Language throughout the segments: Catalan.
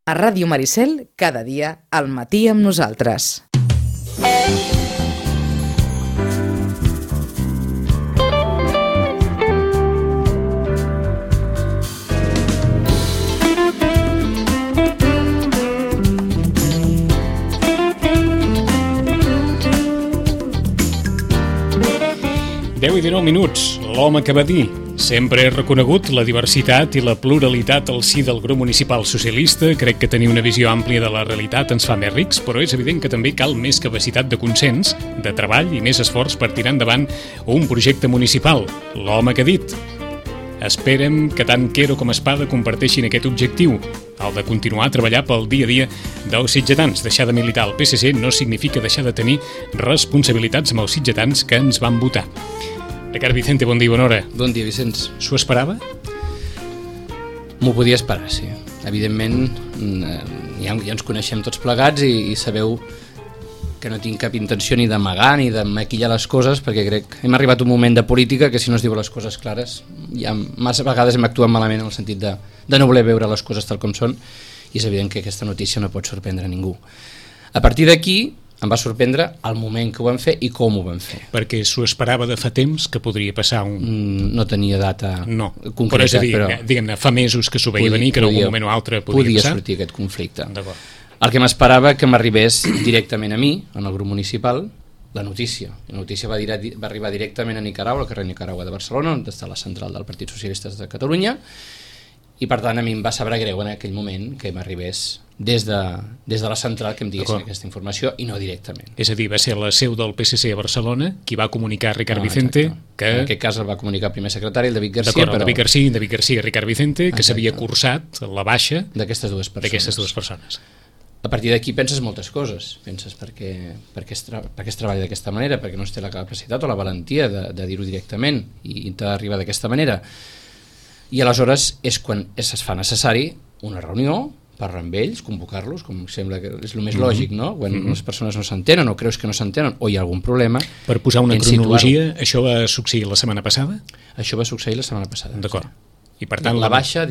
A Ràdio Maricel, cada dia, al matí amb nosaltres. Deu i 19 minuts, l'home que va dir: sempre he reconegut la diversitat i la pluralitat al si del grup municipal socialista. Crec que tenir una visió àmplia de la realitat ens fa més rics, però és evident que també cal més capacitat de consens, de treball i més esforç per tirar endavant un projecte municipal. L'home que ha dit. Esperem que tant Quero com Espada comparteixin aquest objectiu, el de continuar a treballar pel dia a dia dels sitgetans. Deixar de militar al PSC no significa deixar de tenir responsabilitats amb els sitgetans que ens van votar. Ricard Vicente, bon dia, bona hora. Bon dia, Vicenç. S'ho esperava? M'ho podia esperar, sí. Evidentment, ja ens coneixem tots plegats i sabeu que no tinc cap intenció ni d'amagar ni de maquillar les coses, perquè crec que hem arribat a un moment de política que si no es diu les coses clares, ja massa vegades hem actuat malament en el sentit de no voler veure les coses tal com són, i és evident que aquesta notícia no pot sorprendre a ningú. A partir d'aquí em va sorprendre el moment que ho vam fer i com ho vam fer. Perquè s'ho esperava de fa temps que podria passar un... No tenia data concreta, però és a dir, diguem-ne, fa mesos que s'ho veia venir, que en algun moment o altre podia passar. Sortir aquest conflicte. D'acord. El que m'esperava que m'arribés directament a mi, en el grup municipal, la notícia. La notícia va arribar directament a Nicaragua, al carrer Nicaragua de Barcelona, on està la central del Partit Socialista de Catalunya, i per tant a mi em va saber greu en aquell moment que m'arribés des de la central que em diguessin aquesta informació i no directament. És a dir, va ser la seu del PSC a Barcelona qui va comunicar a Ricard Vicente que... En aquest cas el va comunicar el primer secretari, el David Garcia. D'acord, el David Garcia, Ricard Vicente, que s'havia cursat la baixa d'aquestes dues persones. A partir d'aquí penses moltes coses. Penses per què es treballa d'aquesta manera, perquè no es té la capacitat o la valentia de dir-ho directament i d'arribar d'aquesta manera. I aleshores és quan es fa necessari una reunió, parlar amb ells, convocar-los, com sembla que és el més lògic, no? Quan les persones no s'entenen o creus que no s'entenen o hi ha algun problema. Per posar una cronologia, això va succeir la setmana passada? Això va succeir la setmana passada. D'acord. I per tant,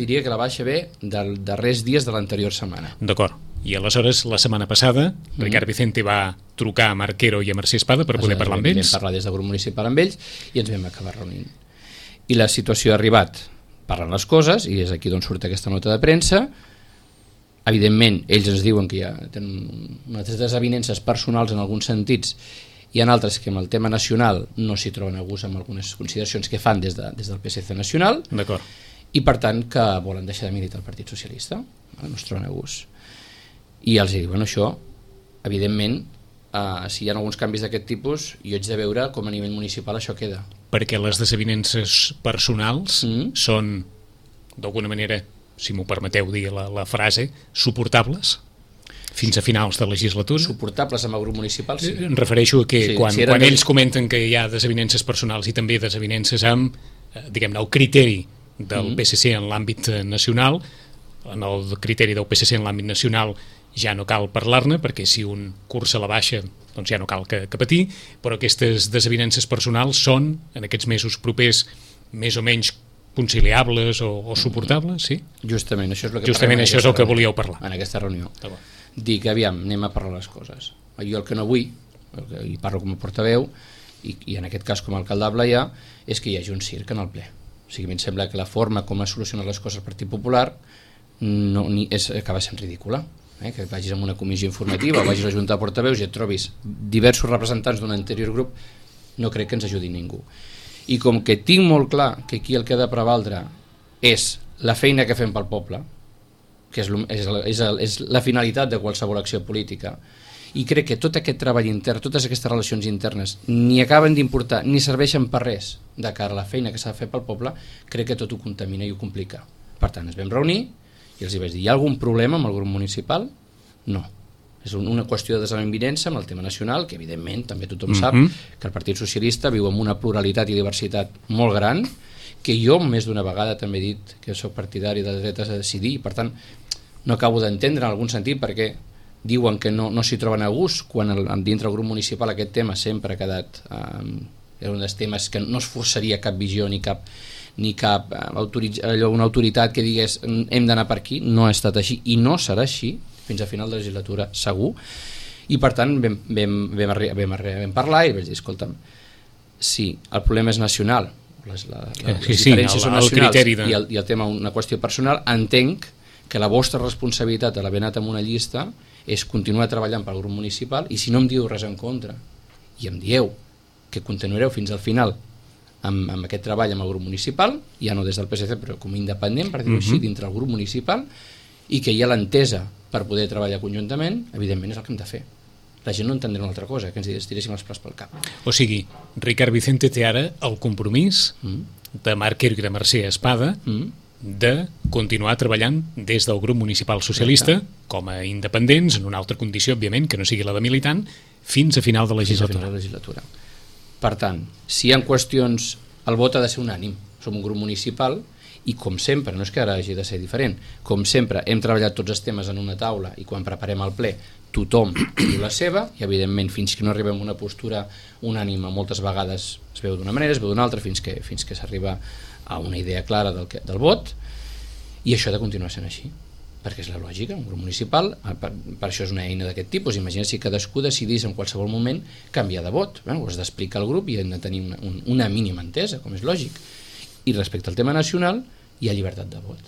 diria que la baixa ve dels darrers dies de l'anterior setmana. D'acord. I aleshores, la setmana passada, Ricard Vicente va trucar a Marc Quero i a Mercè Espada per poder parlar amb ells. Vam parlar des del grup municipal amb ells i ens vam acabar reunint. I la situació ha arribat parlant les coses, i és aquí d'on surt aquesta nota de premsa. Evidentment, ells ens diuen que ja tenen unes desavinences personals en alguns sentits, hi ha altres que amb el tema nacional no s'hi troben a gust amb algunes consideracions que fan des del PSC nacional. D'acord. I per tant que volen deixar de militar el Partit Socialista, no es troben a gust. I els diuen això, evidentment, si hi ha alguns canvis d'aquest tipus, jo haig de veure com a nivell municipal això queda. Perquè les desavinences personals són, d'alguna manera, si m'ho permeteu dir la frase, suportables fins a finals de legislatura? Suportables amb el grup municipal, sí. Em refereixo a que quan ells comenten que hi ha desavinences personals i també desavinences amb, diguem-ne, el criteri del PSC en l'àmbit nacional, en el criteri del PSC en l'àmbit nacional ja no cal parlar-ne, perquè si un cursa la baixa doncs ja no cal que patir, però aquestes desavinences personals són, en aquests mesos propers, més o menys conciliables o suportables, sí? Justament, això és el que Justament això és el que volíeu parlar. En aquesta reunió. Dic, aviam, anem a parlar les coses. Jo el que no vull, i parlo com a portaveu, i en aquest cas com a alcaldable ja, és que hi hagi un circ en el ple. O sigui, a mi em sembla que la forma com ha solucionat les coses el Partit Popular acaba sent ridícula. Que vagis a una comissió informativa o vagis a la Junta de Portaveus i et trobis diversos representants d'un anterior grup, no crec que ens ajudi ningú. I com que tinc molt clar que aquí el que ha de prevaldre és la feina que fem pel poble, que és la finalitat de qualsevol acció política, i crec que tot aquest treball intern, totes aquestes relacions internes ni acaben d'importar ni serveixen per res de cara a la feina que s'ha de fer pel poble, crec que tot ho contamina i ho complica. Per tant, ens vam reunir i els vaig dir, hi ha algun problema amb el grup municipal? No. És una qüestió de desavinença amb el tema nacional, que evidentment també tothom sap que el Partit Socialista viu amb una pluralitat i diversitat molt gran, que jo més d'una vegada també he dit que soc partidari de dretes a decidir, i per tant no acabo d'entendre en algun sentit perquè diuen que no s'hi troben a gust, quan dintre del grup municipal aquest tema sempre ha quedat era un dels temes que no es forçaria cap visió ni cap ni cap una autoritat que digués hem d'anar per aquí, no ha estat així i no serà així fins a final de legislatura segur, i per tant vam parlar i vaig dir, escolta'm, si el problema és nacional, les diferències són nacionals i el tema una qüestió personal, entenc que la vostra responsabilitat d'haver anat amb una llista és continuar treballant pel grup municipal, i si no em diu res en contra i em dieu que continuareu fins al final amb aquest treball amb el grup municipal, ja no des del PSC però com a independent, per dir-ho així, dintre el grup municipal, i que hi ha l'entesa per poder treballar conjuntament, evidentment és el que hem de fer. La gent no entendrà una altra cosa, que ens tiréssim els plats pel cap. O sigui, Ricard Vicente té ara el compromís de Marc Quero i de Mercè Espada de continuar treballant des del grup municipal socialista com a independents, en una altra condició, òbviament, que no sigui la de militant, fins a final de legislatura. Per tant, si hi ha qüestions, el vot ha de ser unànim. Som un grup municipal i, com sempre, no és que ara hagi de ser diferent, com sempre, hem treballat tots els temes en una taula i quan preparem el ple tothom diu la seva i, evidentment, fins que no arribem a una postura unànime, moltes vegades es veu d'una manera, es veu d'una altra, fins que s'arriba a una idea clara del vot, i això ha de continuar sent així, perquè és la lògica, un grup municipal, per això és una eina d'aquest tipus. Imagina si cadascú decidís en qualsevol moment canviar de vot, ho has d'explicar al grup i hem de tenir una mínima entesa, com és lògic. I respecte al tema nacional, hi ha llibertat de vot.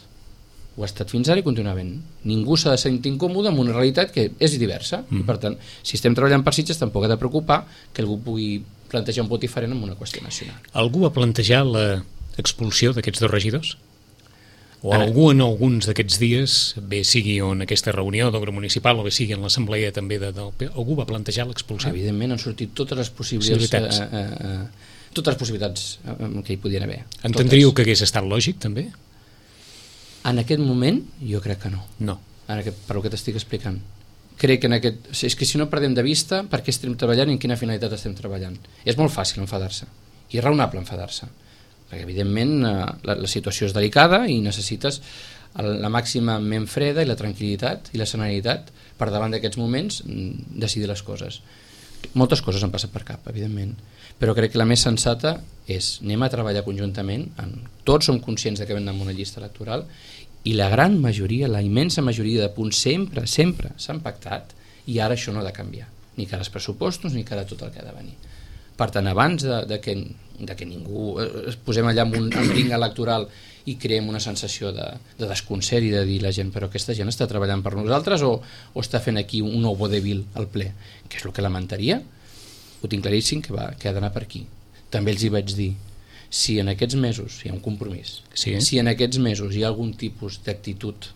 Ho ha estat fins ara i continua havent. Ningú s'ha de sentir incòmode amb una realitat que és diversa, i per tant, si estem treballant per Sitges, tampoc ha de preocupar que algú pugui plantejar un vot diferent en una qüestió nacional. Algú va plantejar l'expulsió d'aquests dos regidors? O algú en alguns d'aquests dies, bé sigui en aquesta reunió del grup municipal o bé sigui en l'assemblea també algú va plantejar l'expulsió? Evidentment han sortit totes les possibilitats que hi podien haver. Entendríeu que hagués estat lògic també? En aquest moment jo crec que no. No. Per el que t'estic explicant. Crec que és que si no perdem de vista per què estem treballant i en quina finalitat estem treballant. És molt fàcil enfadar-se i és raonable enfadar-se, perquè evidentment la situació és delicada i necessites la màxima ment freda i la tranquil·litat i la serenitat per davant d'aquests moments decidir les coses. Moltes coses han passat per cap, evidentment, però crec que la més sensata és anem a treballar conjuntament, tots som conscients que venim amb una llista electoral i la gran majoria, la immensa majoria de punts sempre s'han pactat i ara això no ha de canviar, ni cara als pressupostos ni cara a tot el que ha de venir. Per tant, abans de que ningú es posem allà amb un ring electoral i creem una sensació de desconcert i de dir la gent, però aquesta gent està treballant per nosaltres o està fent aquí un nou vodevil al ple, que és el que lamentaria, ho tinc claríssim que ha d'anar per aquí. També els hi vaig dir, si en aquests mesos hi ha un compromís, si en aquests mesos hi ha algun tipus d'actitud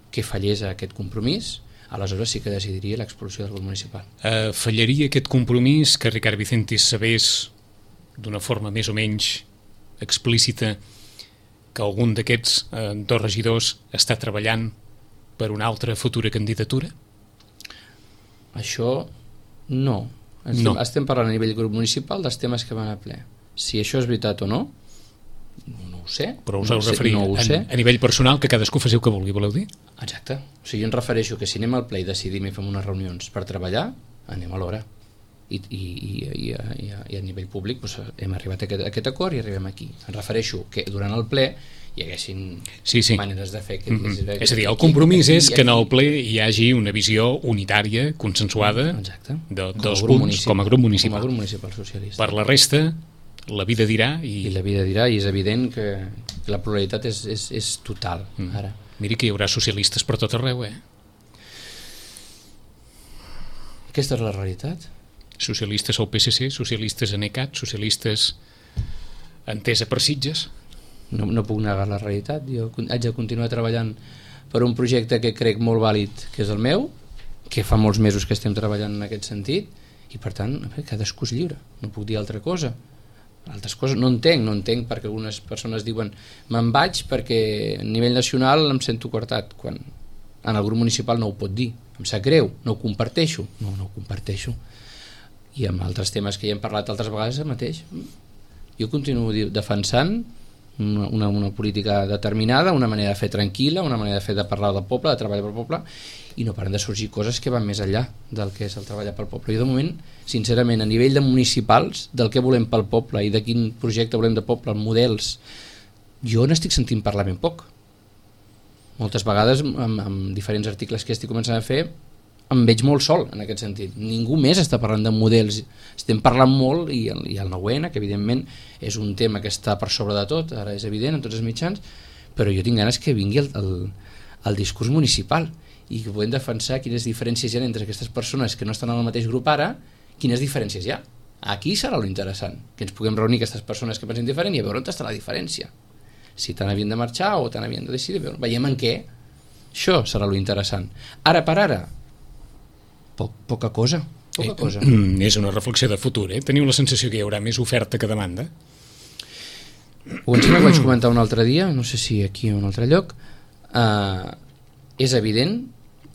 que fallés a aquest compromís, aleshores sí que decidiria l'expulsió del grup municipal. Fallaria aquest compromís que Ricard Vicente sabés d'una forma més o menys explícita que algun d'aquests dos regidors està treballant per una altra futura candidatura? Això no. Estem parlant a nivell grup municipal dels temes que van a ple. Si això és veritat o no, no ho sé. Però us heu referit a nivell personal que cadascú faci el que vulgui, voleu dir? Exacte. O sigui, jo em refereixo que si anem al ple i decidim i fem unes reunions per treballar, anem a l'hora. I a nivell públic hem arribat a aquest acord i arribem aquí. Em refereixo que durant el ple hi haguessin maneres de fer és a dir, el compromís és que en el ple hi hagi una visió unitària, consensuada dels punts com a grup municipal socialista. Per la resta la vida dirà i la vida dirà, i és evident que la pluralitat és total ara. Miri que hi haurà socialistes per tot arreu, Aquesta és la realitat. Socialistes al PSC, socialistes en ECAT, socialistes Entesa per Sitges. No puc negar la realitat. Jo haig de continuar treballant per un projecte que crec molt vàlid, que és el meu, que fa molts mesos que estem treballant en aquest sentit, i per tant cadascú és lliure, no puc dir altra cosa. Altres coses no entenc perquè algunes persones diuen me'n vaig perquè a nivell nacional em sento coartat, quan en el grup municipal no ho pot dir, em sap greu, no ho comparteixo, no ho comparteixo, i amb altres temes que ja hem parlat altres vegades el mateix. Jo continuo defensant una política determinada, una manera de fer tranquil·la, una manera de fer de parlar del poble, de treballar pel poble, i no paren de sorgir coses que van més enllà del que és el treballar pel poble. Jo de moment, sincerament, a nivell de municipals, del que volem pel poble i de quin projecte volem de poble, els models jo n'estic sentint parlar ben poc. Moltes vegades, amb diferents articles que estic començant a fer, em veig molt sol en aquest sentit. Ningú més està parlant de models. Estem parlant molt, i el 9N, que evidentment és un tema que està per sobre de tot, ara és evident en tots els mitjans, però jo tinc ganes que vingui el discurs municipal i que podem defensar quines diferències hi ha entre aquestes persones que no estan en el mateix grup ara, quines diferències hi ha. Aquí serà lo interessant, que ens puguem reunir aquestes persones que pensen diferent i a veure on està la diferència. Si tant havien de marxar o tant havien de decidir, veiem en què. Això serà lo interessant. Ara per ara, poca cosa. És una reflexió de futur, eh? Teniu la sensació que hi haurà més oferta que demanda? Ho em sembla que vaig comentar un altre dia, no sé si aquí o un altre lloc. És evident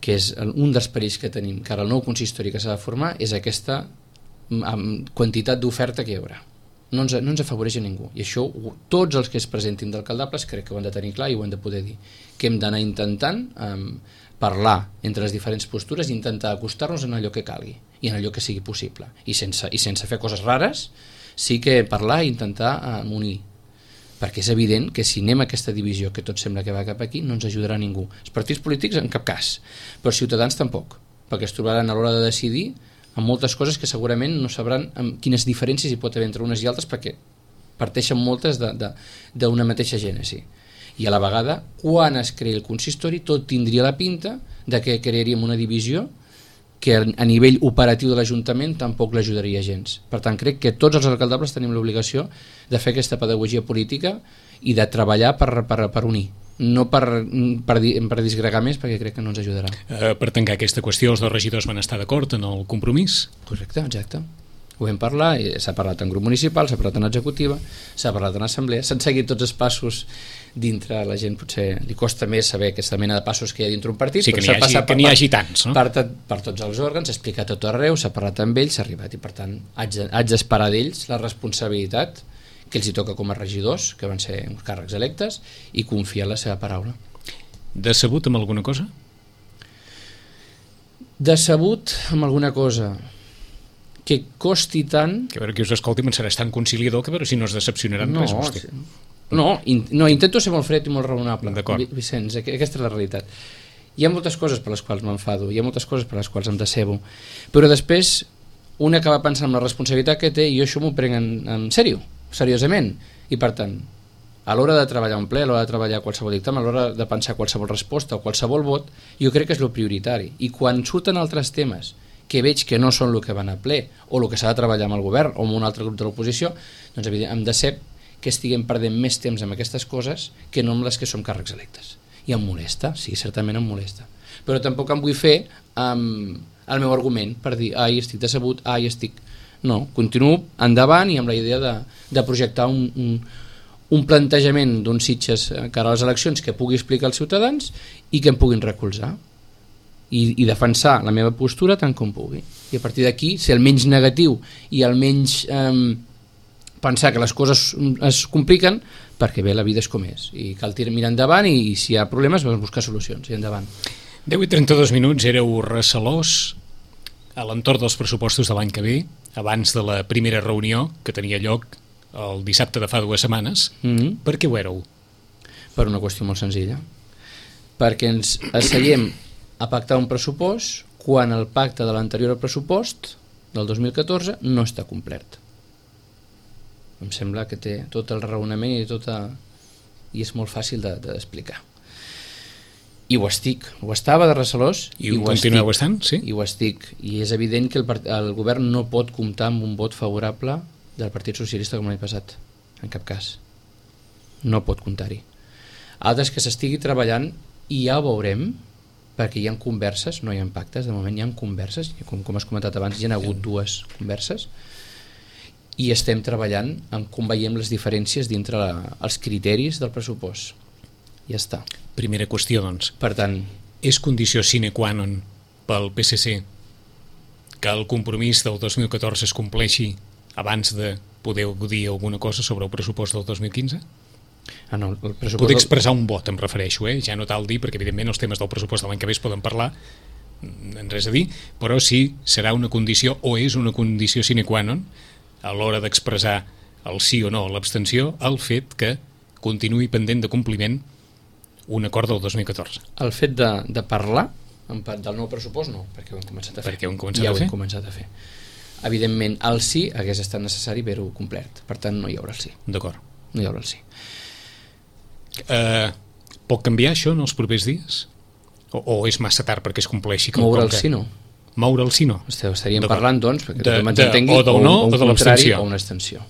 que és un dels perills que tenim, que ara el nou consistori que s'ha de formar és aquesta quantitat d'oferta que hi haurà. No ens afavoreix a ningú, i això tots els que es presentin d'alcaldables crec que ho han de tenir clar i ho han de poder dir, que hem d'anar intentant parlar entre les diferents postures i intentar acostar-nos en allò que calgui i en allò que sigui possible, i sense fer coses rares, sí que parlar i intentar unir, perquè és evident que si anem a aquesta divisió que tot sembla que va cap aquí no ens ajudarà ningú. Els partits polítics en cap cas, però Ciutadans tampoc, perquè es trobaran a l'hora de decidir amb moltes coses que segurament no sabran quines diferències hi pot haver entre unes i altres, perquè parteixen moltes d'una mateixa gènesi. I a la vegada, quan es creï el consistori, tot tindria la pinta de que crearíem una divisió que a nivell operatiu de l'Ajuntament tampoc l'ajudaria gens. Per tant, crec que tots els alcaldables tenim l'obligació de fer aquesta pedagogia política i de treballar per unir, no per disgregar més, perquè crec que no ens ajudarà. Per tancar aquesta qüestió, els dos regidors van estar d'acord en el compromís? Correcte, exacte. Ho vam parlar, s'ha parlat en grup municipal, s'ha parlat en executiva, s'ha parlat en assemblea, s'han seguit tots els passos dintre. La gent potser li costa més saber aquesta mena de passos que hi ha dintre un partit, sí, però que n'hi hagi tants, no? Per tots els òrgans, s'ha explicat tot arreu, s'ha parlat amb ells, s'ha arribat, i per tant haig d'esperar d'ells la responsabilitat que els hi toca com a regidors, que van ser uns càrrecs electes, i confiar en la seva paraula. Decebut amb alguna cosa? Decebut amb alguna cosa que costi tant... Que a veure qui us escolti pensarà tan conciliador que a veure si no es decepcionaran res vostè. No, intento ser molt fred i molt raonable, Vicenç, aquesta és la realitat. Hi ha moltes coses per les quals m'enfado, hi ha moltes coses per les quals em decebo, però després un acaba pensant en la responsabilitat que té i jo això m'ho prenc en sèrio, seriosament, i per tant a l'hora de treballar un ple, a l'hora de treballar qualsevol dictamen, a l'hora de pensar qualsevol resposta o qualsevol vot, jo crec que és el prioritari, i quan surten altres temes que veig que no són el que van a ple o el que s'ha de treballar amb el govern o amb un altre grup de l'oposició, doncs evidentment em decep que estiguem perdent més temps amb aquestes coses que no amb les que som càrrecs electes. I em molesta, sí, certament em molesta. Però tampoc em vull fer el meu argument per dir, estic decebut, estic... No, continuo endavant i amb la idea de projectar un plantejament d'uns Sitges cara a les eleccions que pugui explicar als ciutadans i que em puguin recolzar. I defensar la meva postura tant com pugui. I a partir d'aquí, ser el menys negatiu i el menys pensar que les coses es compliquen, perquè bé, la vida és com és. I cal mirar endavant i si hi ha problemes, buscar solucions i endavant. 10:32, éreu recelós a l'entorn dels pressupostos de l'any que ve, abans de la primera reunió que tenia lloc el dissabte de fa 2 setmanes. Per què ho éreu? Per una qüestió molt senzilla. Perquè ens asseiem a pactar un pressupost quan el pacte de l'anterior pressupost del 2014 no està complert. Em sembla que té tot el raonament i és molt fàcil d'explicar. I ho estava de recelós i ho continueu estant, sí? I ho estic, i és evident que el govern no pot comptar amb un vot favorable del Partit Socialista com l'any passat, en cap cas no pot comptar-hi. Altres que s'estigui treballant i ja ho veurem, perquè hi ha converses, no hi ha pactes, de moment hi ha converses, com has comentat abans, hi ha hagut 2 converses, i estem treballant en com veiem les diferències dintre els criteris del pressupost. Ja està. Primera qüestió, doncs. Per tant, és condició sine qua non pel PSC que el compromís del 2014 es compleixi abans de poder dir alguna cosa sobre el pressupost del 2015? No, el pressupost... Poder expressar un vot, em refereixo, ja no tal dir, perquè evidentment els temes del pressupost de l'any que ve es poden parlar, en res a dir, però sí serà una condició o és una condició sine qua non a l'hora d'expressar el sí o no, l'abstenció, el fet que continuï pendent de compliment un acord del 2014. El fet de parlar del nou pressupost no, perquè ho hem començat a fer. Perquè ho hem començat a fer. Evidentment, el sí hagués estat necessari haver-ho complert. Per tant, no hi haurà el sí. D'acord. No hi haurà el sí. Pot canviar això en els propers dies? O és massa tard perquè es compleixi? Moure el sí no. Moure el sí no. Estaríem parlant, doncs, perquè tothom ens entengui, o del no o de l'abstenció. O una abstenció.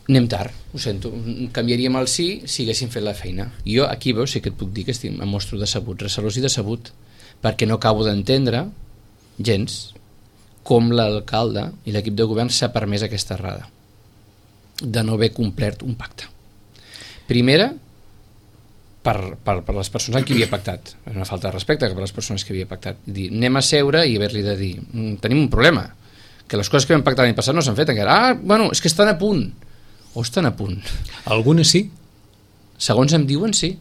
Anem tard, ho sento. Canviaríem el sí si haguéssim fet la feina. Jo aquí veus, sí que et puc dir que em mostro decebut, recelós i decebut, perquè no acabo d'entendre gens com l'alcalde i l'equip de govern s'ha permès aquesta errada de no haver complert un pacte. Primera, per les persones amb qui havia pactat. És una falta de respecte per les persones que havia pactat. Dir, anem a seure i haver-li de dir tenim un problema, que les coses que vam pactar l'any passat no s'han fet encara. Bueno, és que estan a punt. O estan a punt. Algunes sí? Segons em diuen sí.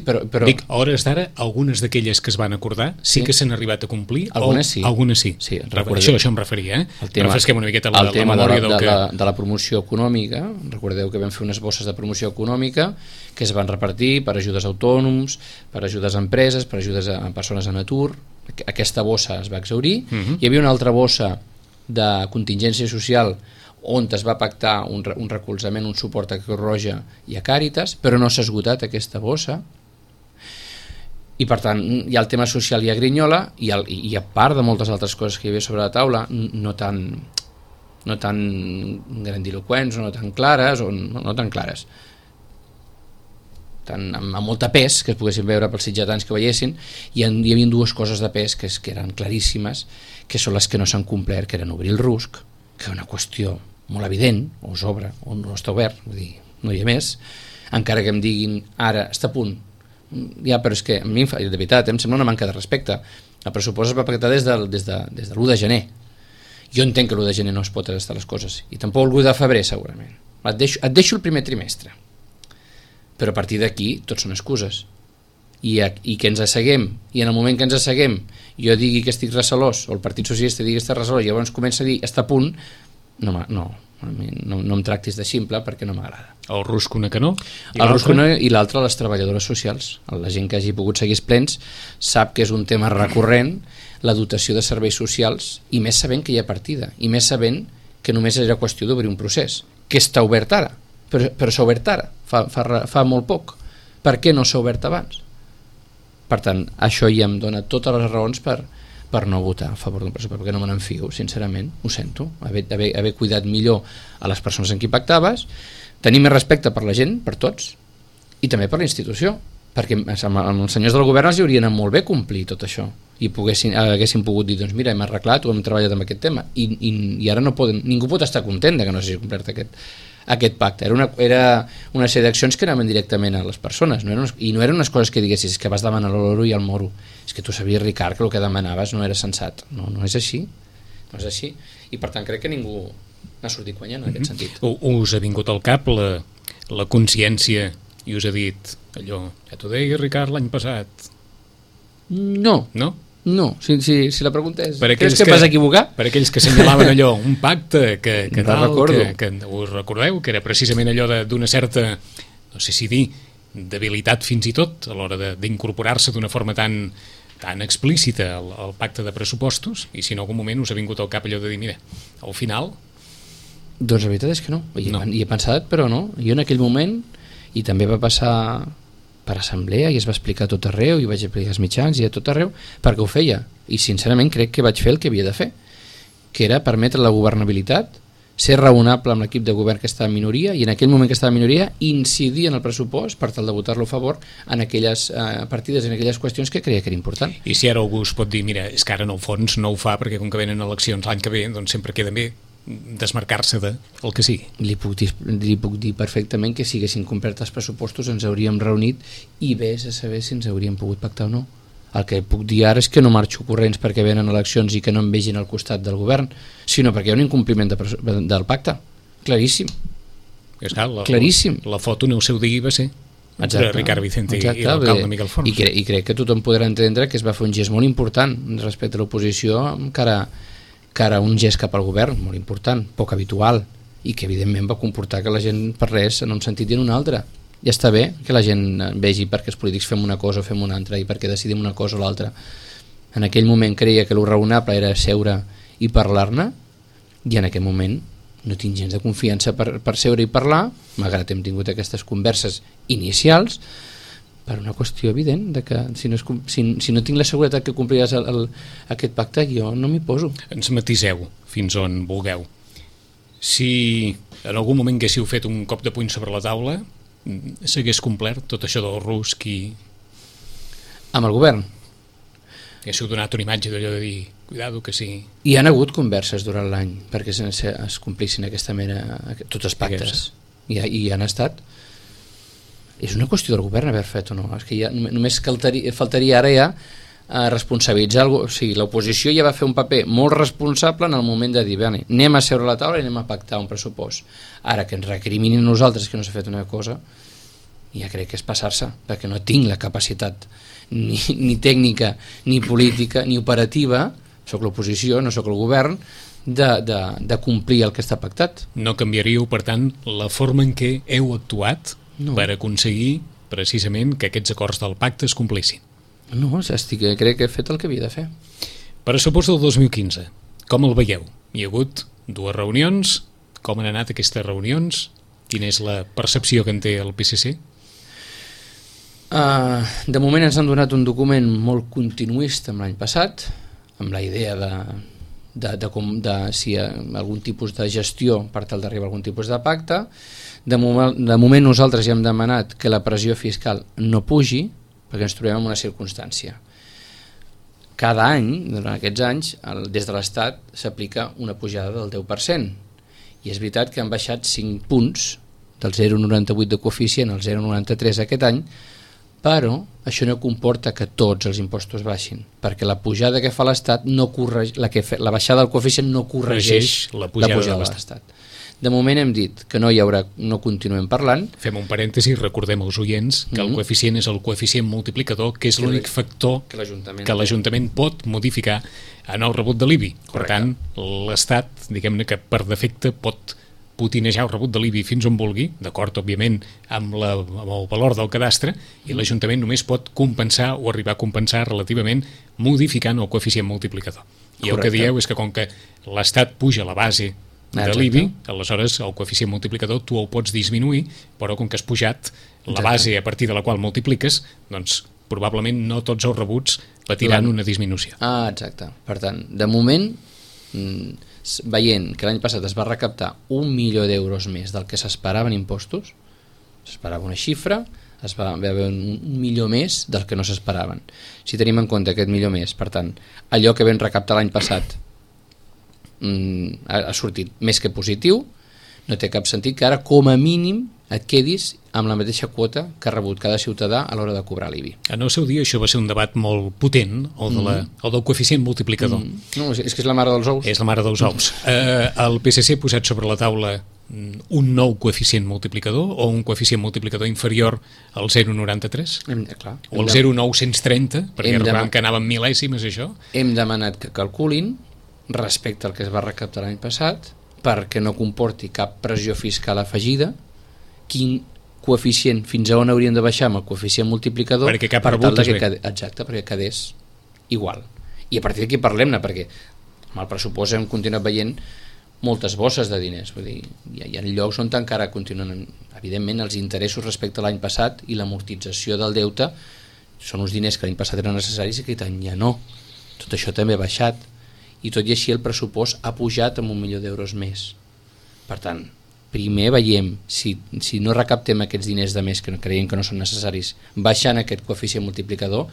Però... Dic, a hores d'ara, algunes d'aquelles que es van acordar sí que s'han arribat a complir? Algunes sí. Algunes sí. Això em referia, refresquem una miqueta la memòria de la promoció econòmica. Recordeu que vam fer unes bosses de promoció econòmica que es van repartir per ajudes a autònoms, per ajudes a empreses, per ajudes a persones en atur. Aquesta bossa es va exhaurir. Hi havia una altra bossa de contingència social on es va pactar un recolzament, un suport a Creu Roja i a Càritas, però no s'ha esgotat aquesta bossa, i per tant hi ha el tema social i a Grinyola, i a part de moltes altres coses que hi havia sobre la taula, no tan grandiloquents o no tan clares, amb molta pes, que es poguessin veure pels sitjatans que ho veiessin, i hi havia dues coses de pes que eren claríssimes, que són les que no s'han complert, que eren obrir el RUSC, que és una qüestió molt evident, o s'obre o no està obert, vull dir, no hi ha més, encara que em diguin ara està a punt, ja, però és que a mi de veritat em sembla una manca de respecte. El pressupost es va pactar des de l'1 de gener. Jo entenc que l'1 de gener no es pot estar les coses, i tampoc el 1 de febrer segurament. Et deixo el primer trimestre, però a partir d'aquí tots són excuses, i que ens asseguem, i en el moment que ens asseguem jo digui que estic recelós, o el Partit Socialista digui que està recelós, i llavors comença a dir està a punt, no em tractis de ximple, perquè no m'agrada. El RUSC una que no? El RUSC una, i l'altra les treballadores socials. La gent que hagi pogut seguir els plens sap que és un tema recurrent la dotació de serveis socials, i més sabent que hi ha partida, i més sabent que només era qüestió d'obrir un procés, que està obert ara, però s'ha obert ara, fa molt poc. Per què no s'ha obert abans? Per tant, això ja em dona totes les raons per no votar a favor d'un pressupost, perquè no me n'enfio, sincerament, ho sento, haver cuidat millor a les persones amb qui pactaves, tenir més respecte per la gent, per tots, i també per la institució, perquè amb els senyors del govern els hi hauria anat molt bé complir tot això, i haguessin pogut dir, doncs mira, hem arreglat o hem treballat amb aquest tema, i ara no poden, ningú pot estar content que no s'hagi complert aquest pacte. Era una sèrie d'accions que anaven directament a les persones, i no eren unes coses que diguessis que vas demanar l'oro i el moro, és que tu sabies, Ricard, que el que demanaves no era sensat. No és així, i per tant crec que ningú n'ha sortit guanyant en aquest sentit. Us ha vingut al cap la consciència i us ha dit allò, ja t'ho deia, Ricard, l'any passat? No, si la pregunta és creus que vas equivocar? Per aquells que assenyalaven allò, un pacte que us recordeu, que era precisament allò d'una certa, no sé si dir, debilitat fins i tot a l'hora d'incorporar-se d'una forma tan explícita al pacte de pressupostos, i si en algun moment us ha vingut al cap allò de dir, mira, al final... Doncs la veritat és que no, hi he pensat, però no. Jo en aquell moment, i també va passar per assemblea, i es va explicar a tot arreu, i vaig explicar als mitjans i a tot arreu, perquè ho feia, i sincerament crec que vaig fer el que havia de fer, que era permetre la governabilitat, ser raonable amb l'equip de govern que estava en minoria, i en aquell moment que estava en minoria incidir en el pressupost per tal de votar-lo a favor en aquelles partides, en aquelles qüestions que creia que era important. I si ara algú es pot dir, mira, és que ara en el fons no ho fa perquè com que venen eleccions l'any que ve, doncs sempre queda bé desmarcar-se del que sigui. Li puc dir perfectament que si haguessin complert els pressupostos ens hauríem reunit i vés a saber si ens hauríem pogut pactar o no. El que puc dir ara és que no marxo corrents perquè venen eleccions i que no em vegin al costat del govern, sinó perquè hi ha un incompliment del pacte. Claríssim. Claríssim. La foto en el seu dia va ser entre Ricard Vicente i l'alcalde Miquel Forns. I crec que tothom podrà entendre que es va fer un gest molt important respecte a l'oposició, cara un gest cap al govern molt important, poc habitual, i que evidentment va comportar que la gent parlés en un sentit i en un altre. Ja està bé que la gent vegi perquè els polítics fem una cosa o fem una altra i perquè decidim una cosa o l'altra. En aquell moment creia que el raonable era seure i parlar-ne, i en aquell moment no tinc gens de confiança per seure i parlar, malgrat hem tingut aquestes converses inicials, per una qüestió evident de que si no tinc la seguretat que compliràs aquest pacte, jo no m'hi poso. Ens matiseu fins on vulgueu. Si en algun moment haguéssiu fet un cop de puny sobre la taula, s'hagués complert tot això del rusc i... Amb el govern? Haguéssiu donat una imatge d'allò de dir, cuidado que sí. Hi han hagut converses durant l'any perquè es complissin aquesta mena, tots els pactes. I hi han estat. És una qüestió del govern haver fet o no. És que ja, només faltaria ara ja responsabilitzar o sigui, l'oposició ja va fer un paper molt responsable en el moment de dir, anem a seure a la taula i anem a pactar un pressupost. Ara que ens recriminin nosaltres que no s'ha fet una cosa, ja crec que és passar-se, perquè no tinc la capacitat ni tècnica, ni política, ni operativa, soc l'oposició, no soc el govern, de complir el que està pactat. No canviaríeu, per tant, la forma en què heu actuat per aconseguir precisament que aquests acords del pacte es complissin? No, crec que he fet el que havia de fer. Pressupost del 2015, com el veieu? Hi ha hagut 2 reunions, com han anat aquestes reunions? Quina és la percepció que en té el PSC? De moment ens han donat un document molt continuista amb l'any passat, amb la idea de si hi ha algun tipus de gestió per tal d'arribar a algun tipus de pacte. De moment nosaltres ja hem demanat que la pressió fiscal no pugi, perquè ens trobem en una circumstància. Cada any, durant aquests anys, des de l'Estat s'aplica una pujada del 10%, i és veritat que han baixat 5 punts, del 0,98 de coeficient al 0,93 aquest any, però això no comporta que tots els impostos baixin, perquè la pujada que fa l'Estat la baixada del coeficient no corregeix la pujada de l'Estat. De moment hem dit que no continuem parlant. Fem un parèntesi, recordem als oients que el coeficient és el coeficient multiplicador, que és l'únic factor que l'Ajuntament pot modificar en el rebut de l'IBI. Per tant, l'Estat, diguem-ne que per defecte pot potinejar el rebut de l'IBI fins on vulgui, d'acord, òbviament, amb el valor del cadastre, i l'Ajuntament només pot compensar o arribar a compensar relativament modificant el coeficient multiplicador. I el que dieu és que com que l'Estat puja la base de l'IBI, aleshores el coeficient multiplicador tu el pots disminuir, però com que has pujat la base a partir de la qual multipliques, doncs probablement no tots els rebuts patiran una disminució. Exacte. Per tant, de moment, veient que l'any passat es va recaptar 1 milió d'euros més del que s'esperava en impostos, s'esperava una xifra, es va haver 1 milió més del que no s'esperaven. Si tenim en compte aquest milió més, per tant, allò que vam recaptar l'any passat ha sortit més que positiu, no té cap sentit que ara com a mínim et quedis amb la mateixa quota que ha rebut cada ciutadà a l'hora de cobrar l'IBI. En el seu dia això va ser un debat molt potent, el del coeficient multiplicador. No, és que és la mare dels ous. És la mare dels ous. El PSC ha posat sobre la taula un nou coeficient multiplicador o un coeficient multiplicador inferior al 0,93? O al 0,930, perquè recordem que anaven mil·lèsimes això? Hem demanat que calculin respecte al que es va recaptar l'any passat, perquè no comporti cap pressió fiscal afegida, quin coeficient, fins a on hauríem de baixar amb el coeficient multiplicador, perquè cap rebut és bé. Exacte, perquè quedés igual. I a partir d'aquí parlem-ne, perquè amb el pressupost hem continuat veient moltes bosses de diners, vull dir, hi ha llocs on encara continuen, evidentment, els interessos respecte a l'any passat i l'amortització del deute són uns diners que l'any passat eren necessaris i que aquest any ja no. Tot això també ha baixat, i tot i així el pressupost ha pujat amb 1 milió d'euros més. Per tant, primer veiem si no recaptem aquests diners de més que creiem que no són necessaris, baixant aquest coeficient multiplicador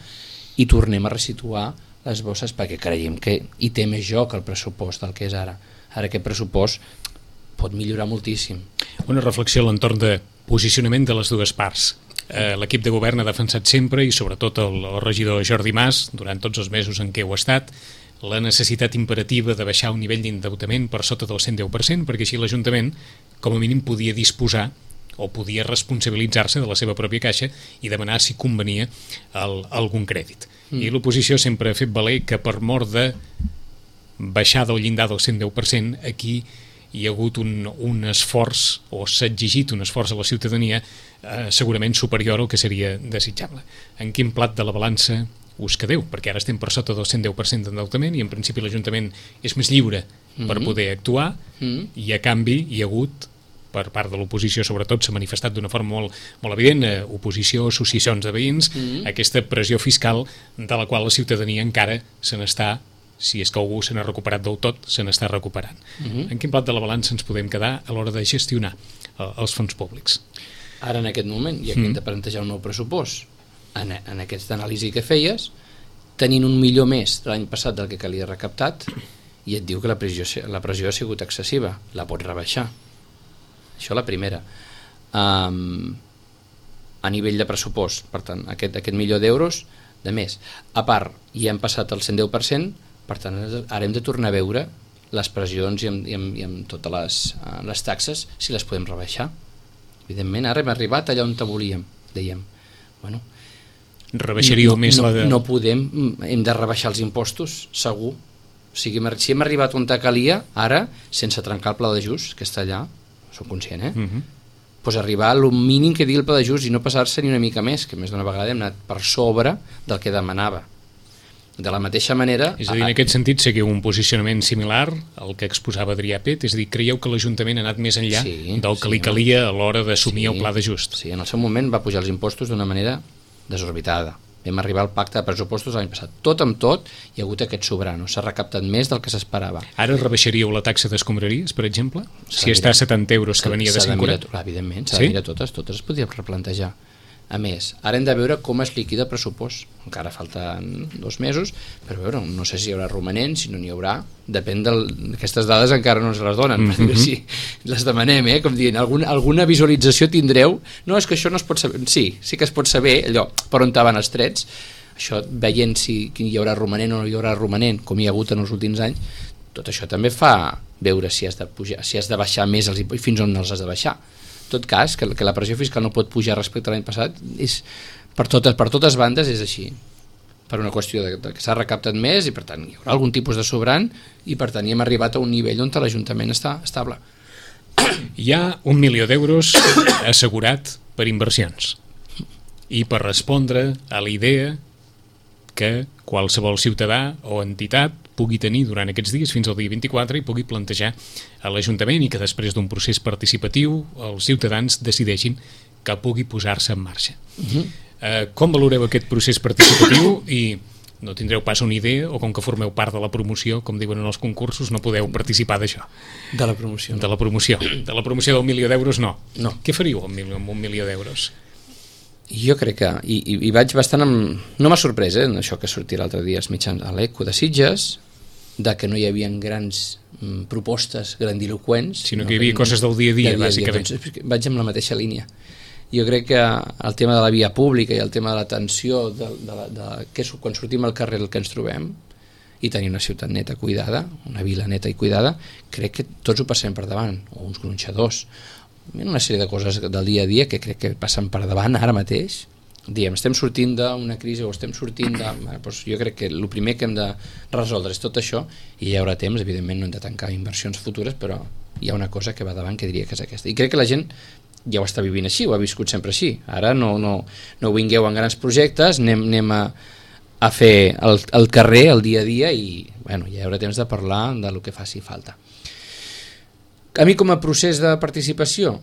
i tornem a resituar les bosses, perquè creiem que hi té més joc el pressupost del que és ara. Ara aquest pressupost pot millorar moltíssim. Una reflexió a l'entorn de posicionament de les dues parts. L'equip de govern ha defensat sempre, i sobretot el regidor Jordi Mas, durant tots els mesos en què heu estat, la necessitat imperativa de baixar un nivell d'endeutament per sota del 110%, perquè així l'Ajuntament, com a mínim, podia disposar o podia responsabilitzar-se de la seva pròpia caixa i demanar si convenia algun crèdit. I l'oposició sempre ha fet valer que per mort de baixar del llindar del 110%, aquí hi ha hagut un esforç, o s'ha exigit un esforç a la ciutadania segurament superior al que seria desitjable. En quin plat de la balança us quedeu? Perquè ara estem per sota del 110% d'endeutament i en principi l'Ajuntament és més lliure per poder actuar i a canvi hi ha hagut per part de l'oposició, sobretot, s'ha manifestat d'una forma molt, molt evident, oposició, associacions de veïns, aquesta pressió fiscal de la qual la ciutadania encara se n'està, si és que algú se n'ha recuperat del tot, se n'està recuperant. En quin plat de la balança ens podem quedar a l'hora de gestionar els fons públics? Ara, en aquest moment, ja que hem de plantejar un nou pressupost, en aquesta anàlisi que feies, tenint un milió més l'any passat del que calia recaptat, i et diu que la pressió ha sigut excessiva, la pots rebaixar. Això la primera. A nivell de pressupost, per tant, aquest milió d'euros de més. A part, ja hem passat el 110%, per tant, ara hem de tornar a veure les pressions i amb totes les taxes, si les podem rebaixar. Evidentment, ara hem arribat allà on volíem, dèiem. Bueno, rebaixaríeu més la de... No podem, hem de rebaixar els impostos, segur. O sigui, si hem arribat on calia, ara, sense trencar el pla d'ajust, que està allà, soc conscient, pues arribar al mínim que digui el pla d'ajust i no passar-se ni una mica més, que més d'una vegada hem anat per sobre del que demanava. De la mateixa manera... És a dir, en aquest sentit, seguiu un posicionament similar al que exposava Adrià Pet, és a dir, creieu que l'Ajuntament ha anat més enllà del que li calia a l'hora d'assumir el pla d'ajust? Sí, en el seu moment va pujar els impostos d'una manera desorbitada. Vam arribar al pacte de pressupostos l'any passat. Tot amb tot, hi ha hagut aquest sobrano. S'ha recaptat més del que s'esperava. Ara rebaixaríeu la taxa d'escombraries, per exemple? Si està a 70 euros, que venia de 50? Evidentment, s'ha de mirar totes es podien replantejar. A més, ara hem de veure com es liquida el pressupost. Encara falten 2 mesos, però veure, no sé si hi haurà romanent, si no n'hi haurà. Depèn d'aquestes dades, encara no ens les donen, perquè si les demanem, com dient, alguna visualització tindreu. No, és que això no es pot saber. Sí que es pot saber allò per on van els trets. Això, veient si hi haurà romanent o no hi haurà romanent, com hi ha hagut en els últims anys, tot això també fa veure si has de pujar, si has de baixar més els impostos i fins on els has de baixar. En tot cas, que la pressió fiscal no pot pujar respecte a l'any passat, per totes bandes és així, per una qüestió de que s'ha recaptat més i per tant hi haurà algun tipus de sobrant i per tant hi hem arribat a un nivell on l'Ajuntament està estable. Hi ha 1 milió d'euros assegurat per inversions i per respondre a la idea que qualsevol ciutadà o entitat pugui tenir durant aquests dies fins al dia 24 i pugui plantejar a l'Ajuntament i que després d'un procés participatiu els ciutadans decideixin que pugui posar-se en marxa. Com valoreu aquest procés participatiu i no tindreu pas una idea o com que formeu part de la promoció, com diuen en els concursos, no podeu participar d'això? De la promoció. De la promoció del milió d'euros no. Què faríeu amb 1 milió d'euros? Jo crec que, i vaig bastant no m'ha sorprès, això que sortia l'altre dia als mitjans a l'Eco de Sitges, de que no hi havia grans propostes grandiloquents, sinó que hi havia coses del dia a dia, bàsicament. Vaig amb la mateixa línia. Jo crec que el tema de la via pública i el tema de l'atenció, quan sortim al carrer el que ens trobem, i tenir una ciutat neta cuidada, una vila neta i cuidada, crec que tots ho passem per davant, o uns gronxadors, una sèrie de coses del dia a dia que crec que passen per davant ara mateix. Diem, estem sortint d'una crisi o estem sortint de... Doncs jo crec que el primer que hem de resoldre és tot això i hi haurà temps, evidentment no hem de tancar inversions futures, però hi ha una cosa que va davant que diria que és aquesta. I crec que la gent ja ho està vivint així, ho ha viscut sempre així. Ara no vingueu en grans projectes, anem a fer el carrer, el dia a dia i bueno, ja hi haurà temps de parlar del que faci falta. A mi com a procés de participació,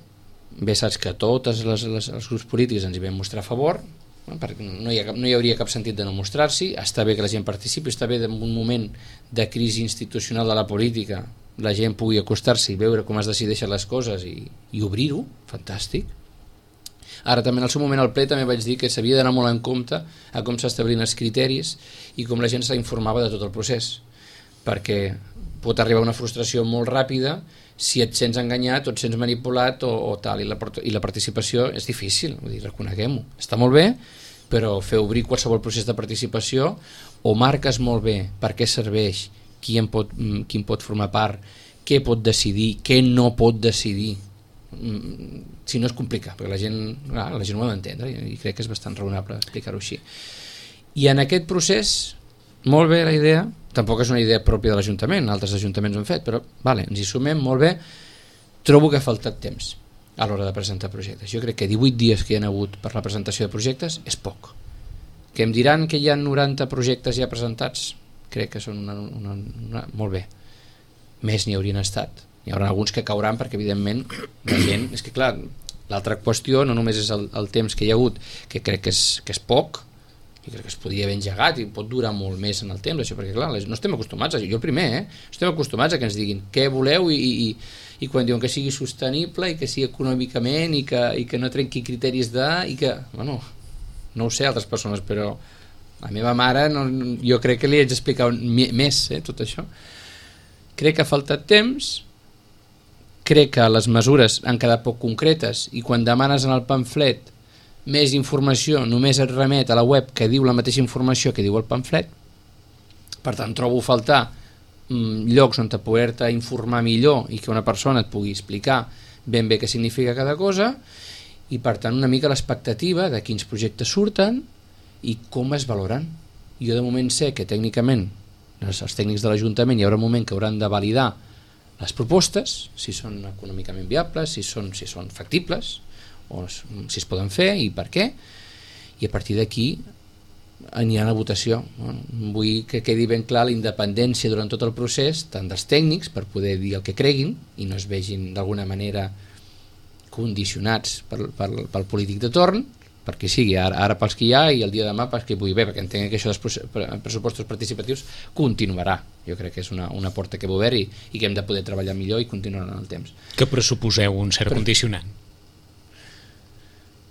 bé saps que tots els grups polítics ens hi vam mostrar a favor, perquè no hi hauria cap sentit de no mostrar-s'hi, està bé que la gent participi, està bé en un moment de crisi institucional de la política la gent pugui acostar-se i veure com es decideixen les coses i obrir-ho, fantàstic. Ara també en el seu moment al ple també vaig dir que s'havia d'anar molt en compte a com s'establien els criteris i com la gent s'informava de tot el procés, perquè pot arribar una frustració molt ràpida si et sents enganyat o et sents manipulat o tal, i la participació és difícil, vull dir, reconeguem-ho. Està molt bé, però fer obrir qualsevol procés de participació o marques molt bé per què serveix, qui pot formar part, què pot decidir, què no pot decidir. Si no és complicat, perquè la gent ho ha d'entendre i crec que és bastant raonable explicar-ho així. I en aquest procés, molt bé la idea, tampoc és una idea pròpia de l'Ajuntament, altres ajuntaments ho han fet, però vale, ens hi sumem, molt bé. Trobo que ha faltat temps a l'hora de presentar projectes. Jo crec que 18 dies que hi ha hagut per la presentació de projectes és poc. Que em diran que hi ha 90 projectes ja presentats, crec que són molt bé. Més n'hi haurien estat. Hi haurà alguns que cauran perquè evidentment la gent, és que clar, l'altra qüestió no només és el temps que hi ha hagut, que crec que és poc, i crec que es podria haver engegat i pot durar molt més en el temps, això, perquè clar, no estem acostumats, jo el primer, estem acostumats a que ens diguin què voleu i quan diuen que sigui sostenible i que sigui econòmicament i que no trenqui criteris i que, bueno, no ho sé altres persones, però la meva mare jo crec que li haig d'explicar més tot això. Crec que ha faltat temps, crec que les mesures han quedat poc concretes i quan demanes en el pamflet més informació només et remet a la web que diu la mateixa informació que diu el pamflet. Per tant, trobo faltar llocs on poder-te informar millor i que una persona et pugui explicar ben bé què significa cada cosa i per tant una mica l'expectativa de quins projectes surten i com es valoren. Jo de moment sé que tècnicament els tècnics de l'Ajuntament hi haurà un moment que hauran de validar les propostes, si són econòmicament viables, si són factibles o si es poden fer i per què, i a partir d'aquí anirà a la votació. Vull que quedi ben clar la independència durant tot el procés, tant dels tècnics per poder dir el que creguin i no es vegin d'alguna manera condicionats pel polític de torn, perquè sigui ara pels que hi ha i el dia de demà pels que hi pugui haver, perquè entenc que això dels pressupostos participatius continuarà. Jo crec que és una porta que hem obert i que hem de poder treballar millor i continuar en el temps. Que pressuposeu un cert condicionant?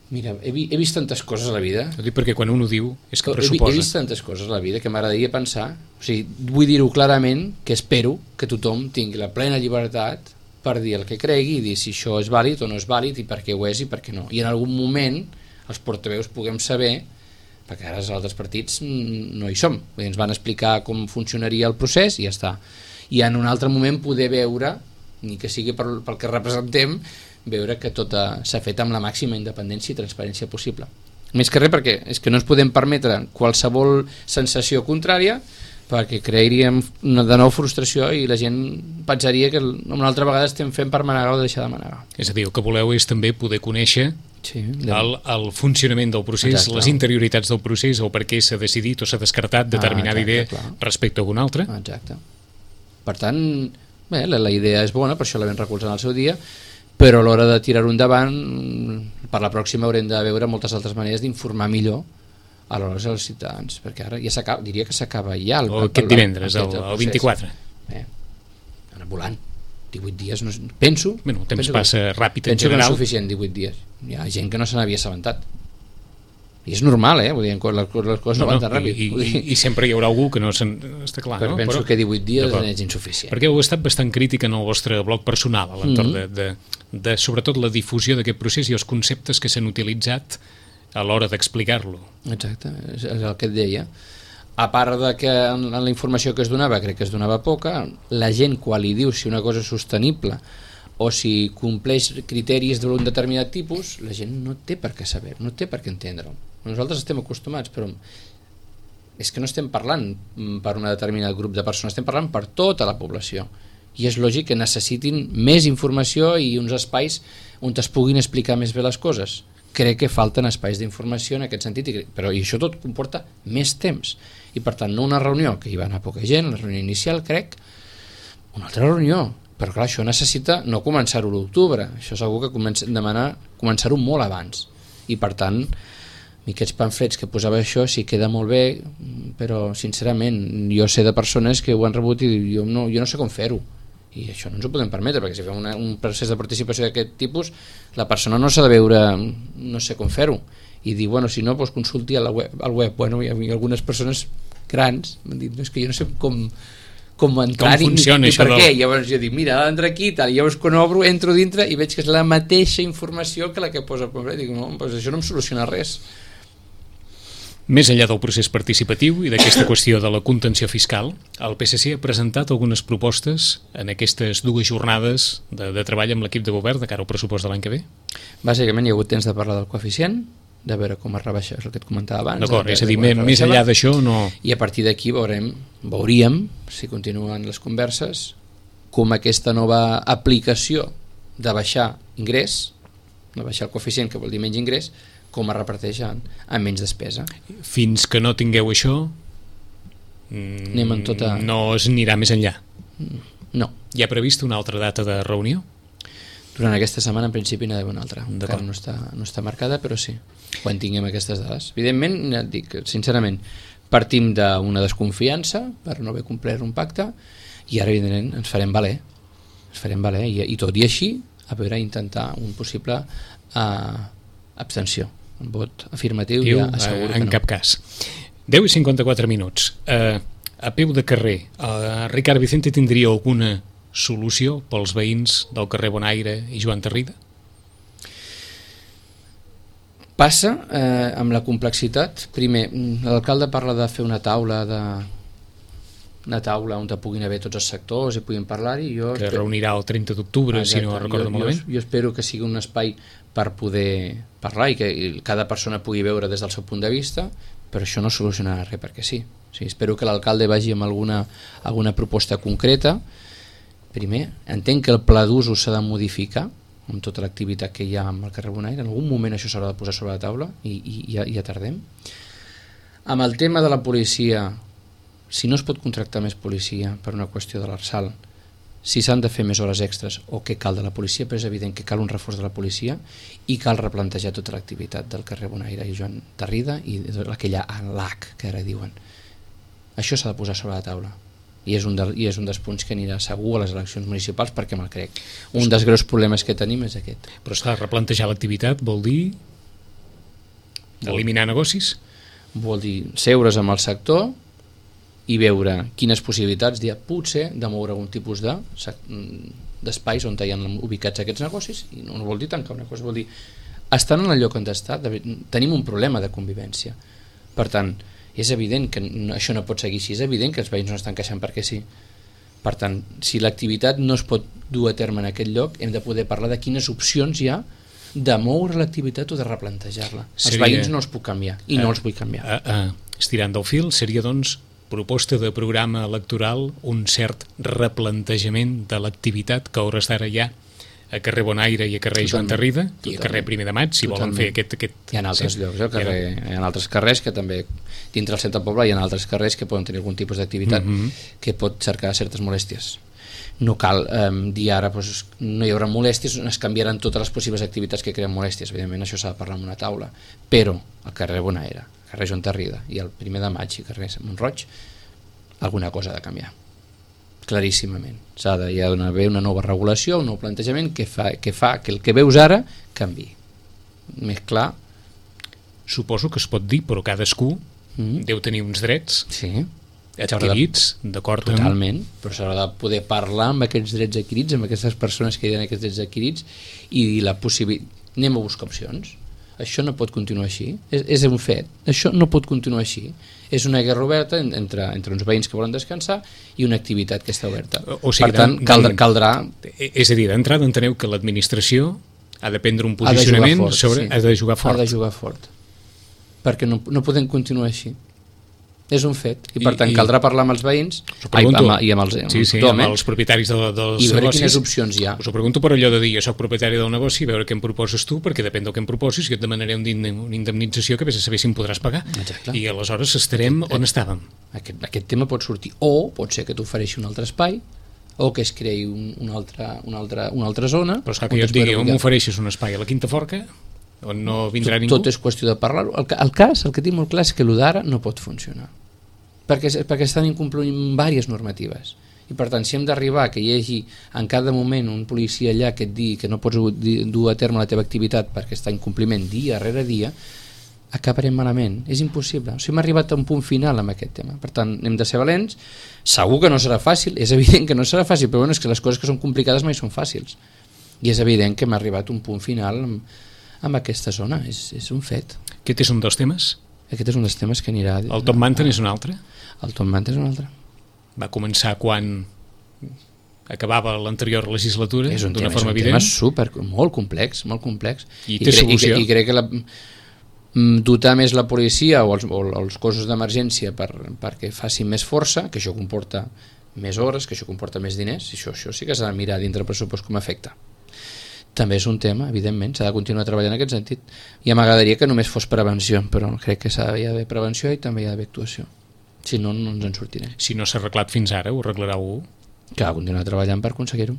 Mira, he vist tantes coses a la vida. Ho dic perquè quan un ho diu és que pressuposa. He vist tantes coses a la vida que m'agradaria pensar, o sigui, vull dir-ho clarament, que espero que tothom tingui la plena llibertat per dir el que cregui i dir si això és vàlid o no és vàlid i per què ho és i per què no. I en algun moment els portaveus puguem saber, perquè ara els altres partits no hi som, ens van explicar com funcionaria el procés i ja està. I en un altre moment poder veure, ni que sigui pel que representem, veure que tot s'ha fet amb la màxima independència i transparència possible. Més que res perquè és que no ens podem permetre qualsevol sensació contrària perquè crearíem de nou frustració i la gent pensaria que una altra vegada estem fent per manegar o deixar de manegar. És a dir, el que voleu és també poder conèixer el funcionament del procés, exacte, les interioritats del procés o per què s'ha decidit o s'ha descartat determinada idea respecte a alguna altra. Exacte. Per tant, bé, la idea és bona, per això la vam recolzar en el seu dia, però a l'hora de tirar-ho endavant per la pròxima haurem de veure moltes altres maneres d'informar millor a l'hora dels ciutadans, perquè ara ja s'acaba, diria que s'acaba ja aquest divendres, el 24. Anar volant 18 dies, penso el temps passa ràpid en general. Penso que no és suficient 18 dies, hi ha gent que no se n'havia assabentat i és normal, vull dir, les coses no van tan ràpid i sempre hi haurà algú que no està clar, però penso que 18 dies és insuficient, perquè heu estat bastant crític en el vostre blog personal a l'entorn de sobretot la difusió d'aquest procés i els conceptes que s'han utilitzat a l'hora d'explicar-lo. Exacte, és el que et deia. A part de que en la informació que es donava, crec que es donava poca, la gent quan li diu si una cosa és sostenible o si compleix criteris d'un determinat tipus, la gent no té per què saber, no té per què entendre-ho. Nosaltres estem acostumats, però és que no estem parlant per un determinat grup de persones, estem parlant per tota la població. I és lògic que necessitin més informació i uns espais on es puguin explicar més bé les coses. Crec que falten espais d'informació en aquest sentit, però i això tot comporta més temps. I per tant, no una reunió, que hi va anar poca gent, la reunió inicial, crec, una altra reunió. Però clar, això necessita no començar-ho a l'octubre, això és algú que demanar començar-ho molt abans. I per tant, aquests pamflets que posava això sí queda molt bé, però sincerament jo sé de persones que ho han rebut i jo no sé com fer-ho. I això no ens ho podem permetre, perquè si fem un procés de participació d'aquest tipus, la persona no s'ha de veure, no sé com fer-ho, i dir, bueno, si no, doncs consulti al web. Bueno, hi ha algunes persones grans m'han dit, no, és que jo no sé com entrar com funciona ni per què. Llavors jo dic, mira, entra aquí i tal, i llavors quan obro, entro dintre i veig que és la mateixa informació que la que posa al dic, no, doncs això no em soluciona res. Més enllà del procés participatiu i d'aquesta qüestió de la contenció fiscal, el PSC ha presentat algunes propostes en aquestes dues jornades de treball amb l'equip de govern de cara al pressupost de l'any que ve? Bàsicament hi ha hagut temps de parlar del coeficient, de veure com es rebaixa, és el que et comentava abans. D'acord, és a dir, més enllà d'això no... I a partir d'aquí veuríem, si continuen les converses, com aquesta nova aplicació de baixar ingrés, de baixar el coeficient, que vol dir menys ingrés, com es reparteix amb menys despesa. Fins que no tingueu això, anem en no es anirà més enllà. No. Hi ha previst una altra data de reunió? Durant aquesta setmana en principi n'hi ha d'haver una altra. Encara no està marcada, però sí, quan tinguem aquestes dades. Evidentment, et dic, sincerament, partim d'una desconfiança per no haver complert un pacte i ara, evidentment, ens farem valer. I tot i així, a veure, intentar un possible abstenció. Un vot afirmatiu ja asseguro que no. En cap cas. 10:54 minuts. A peu de carrer, Ricard Vicente tindria alguna solució pels veïns del carrer Bonaire i Joan Tarrida? Passa amb la complexitat. Primer, l'alcalde parla de fer una taula on puguin haver tots els sectors i puguin parlar-hi. Que reunirà el 30 d'octubre, si no recordo malament. Jo espero que sigui un espai per poder parlar i que cada persona pugui veure des del seu punt de vista, però això no solucionarà res perquè sí. Espero que l'alcalde vagi amb alguna proposta concreta. Primer, entenc que el pla d'usos s'ha de modificar amb tota l'activitat que hi ha amb el carrer Bonaire. En algun moment això s'haurà de posar sobre la taula i ja tardem. Amb el tema de la policia, si no es pot contractar més policia per una qüestió de l'Arsal, si s'han de fer més hores extres o què cal de la policia, però és evident que cal un reforç de la policia i cal replantejar tota l'activitat del carrer Bonaire i Joan Tarrida i aquella LAC que ara diuen. Això s'ha de posar sobre la taula i és un dels punts que anirà segur a les eleccions municipals perquè me'l crec. Un dels greus problemes que tenim és aquest. Però és clar, replantejar l'activitat vol dir eliminar negocis? Vol dir seure's amb el sector i veure quines possibilitats hi ha potser de moure algun tipus d'espais on hi ha ubicats aquests negocis, i no vol dir tancar una cosa, vol dir estan en el lloc on està, tenim un problema de convivència. Per tant, és evident que això no pot seguir així, és evident que els veïns no estan queixant perquè sí. Per tant, si l'activitat no es pot dur a terme en aquest lloc, hem de poder parlar de quines opcions hi ha de moure l'activitat o de replantejar-la. Els veïns no els puc canviar i no els vull canviar. Estirant del fil, seria doncs proposta de programa electoral un cert replantejament de l'activitat que a hores d'ara hi ha a carrer Bonaire i a carrer Joan Tarrida i a carrer 1 de Maig, si volen fer aquest... Hi ha altres llocs, hi ha altres carrers que també, dintre del centre del poble hi ha altres carrers que poden tenir algun tipus d'activitat que pot cercar certes molèsties. No cal dir ara no hi haurà molèsties, es canviaran totes les possibles activitats que creen molèsties, evidentment això s'ha de parlar en una taula, però al carrer Bonaire, al carrer Joan Tarrida i al 1 de Maig i al carrer Montroig alguna cosa ha de canviar claríssimament. Hi ha d'haver una nova regulació, un nou plantejament que fa que el que veus ara canvi. Més clar. Suposo que es pot dir, però cadascú deu tenir uns drets adquirits, d'acord? Totalment, però s'haurà de poder parlar amb aquests drets adquirits, amb aquestes persones que hi ha aquests drets adquirits i dir la possibilitat. Anem a buscar opcions. Això no pot continuar així, és un fet, això no pot continuar així, és una guerra oberta entre uns veïns que volen descansar i una activitat que està oberta. O sigui, per tant, caldrà... És a dir, d'entrada enteneu que l'administració ha de prendre un posicionament ha de jugar fort. Ha de jugar fort, perquè no podem continuar així. És un fet, i per tant caldrà parlar amb els veïns i amb els propietaris dels i veure negocis. Quines opcions hi ha. Us ho pregunto per allò de dir, jo soc propietari del negoci, veure què em proposes tu, perquè depèn del que em proposis, jo et demanaré una indemnització que vés a saber si em podràs pagar. Exacte. I aleshores estarem on estàvem. Aquest tema pot sortir, o pot ser que t'ofereixi un altre espai, o que es creï una altra zona. Però esclar, que jo et digui, on m'ofereixes un espai a la Quinta Forca, on no vindrà ningú? Tot és qüestió de parlar-ho. El que tinc molt clar és que el d'ara no pot funcionar. Perquè estan incomplint diverses normatives i per tant si hem d'arribar que hi hagi en cada moment un policia allà que et digui que no pots dur a terme la teva activitat perquè està en compliment dia rere dia, acabarem malament, és impossible. O sigui, hem arribat a un punt final amb aquest tema, per tant hem de ser valents. Segur que no serà fàcil, és evident que no serà fàcil, però bueno, és que les coses que són complicades mai són fàcils i és evident que hem arribat a un punt final amb aquesta zona, és un fet. Aquest és un dels temes? Aquest és un dels temes que anirà... El Top Mountain és un altre? El Top Mountain és un altre. Va començar quan acabava l'anterior legislatura d'una forma evident? És un tema molt complex. I té solució? I crec que dotar més la policia o els cossos d'emergència perquè facin més força, que això comporta més hores, que això comporta més diners, i això sí que s'ha de mirar dintre el pressupost com afecta. També és un tema, evidentment, s'ha de continuar treballant en aquest sentit. I m'agradaria que només fos prevenció, però crec que hi ha d'haver prevenció i també hi ha d'haver actuació. Si no, no ens en sortirem. Si no s'ha arreglat fins ara, ho arreglarà algú? Que ha de continuar treballant per aconseguir-ho.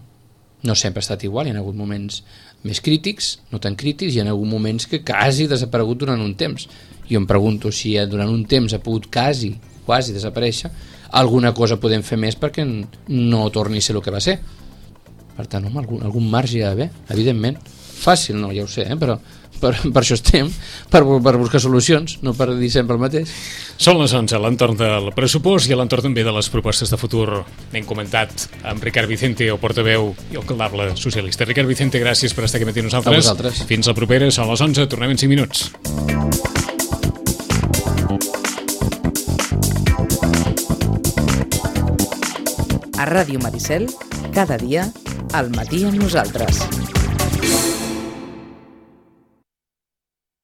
No sempre ha estat igual, hi ha hagut moments més crítics, no tan crítics, hi ha hagut moments que quasi ha desaparegut durant un temps. Jo em pregunto si durant un temps ha pogut quasi desaparèixer, alguna cosa podem fer més perquè no torni a ser el que va ser. Per tant, home, algun marge hi ha d'haver, evidentment. Fàcil, no, ja ho sé, però per això estem, per buscar solucions, no per dir sempre el mateix. Són les 11 a l'entorn del pressupost i a l'entorn també de les propostes de futur. N'hem comentat amb Ricard Vicente, el portaveu i alcaldable socialista. Ricard Vicente, gràcies per estar aquí amb nosaltres. A vosaltres. Fins la propera, són les 11, tornem en 5 minuts. A Ràdio Maricel, cada dia, al matí amb nosaltres.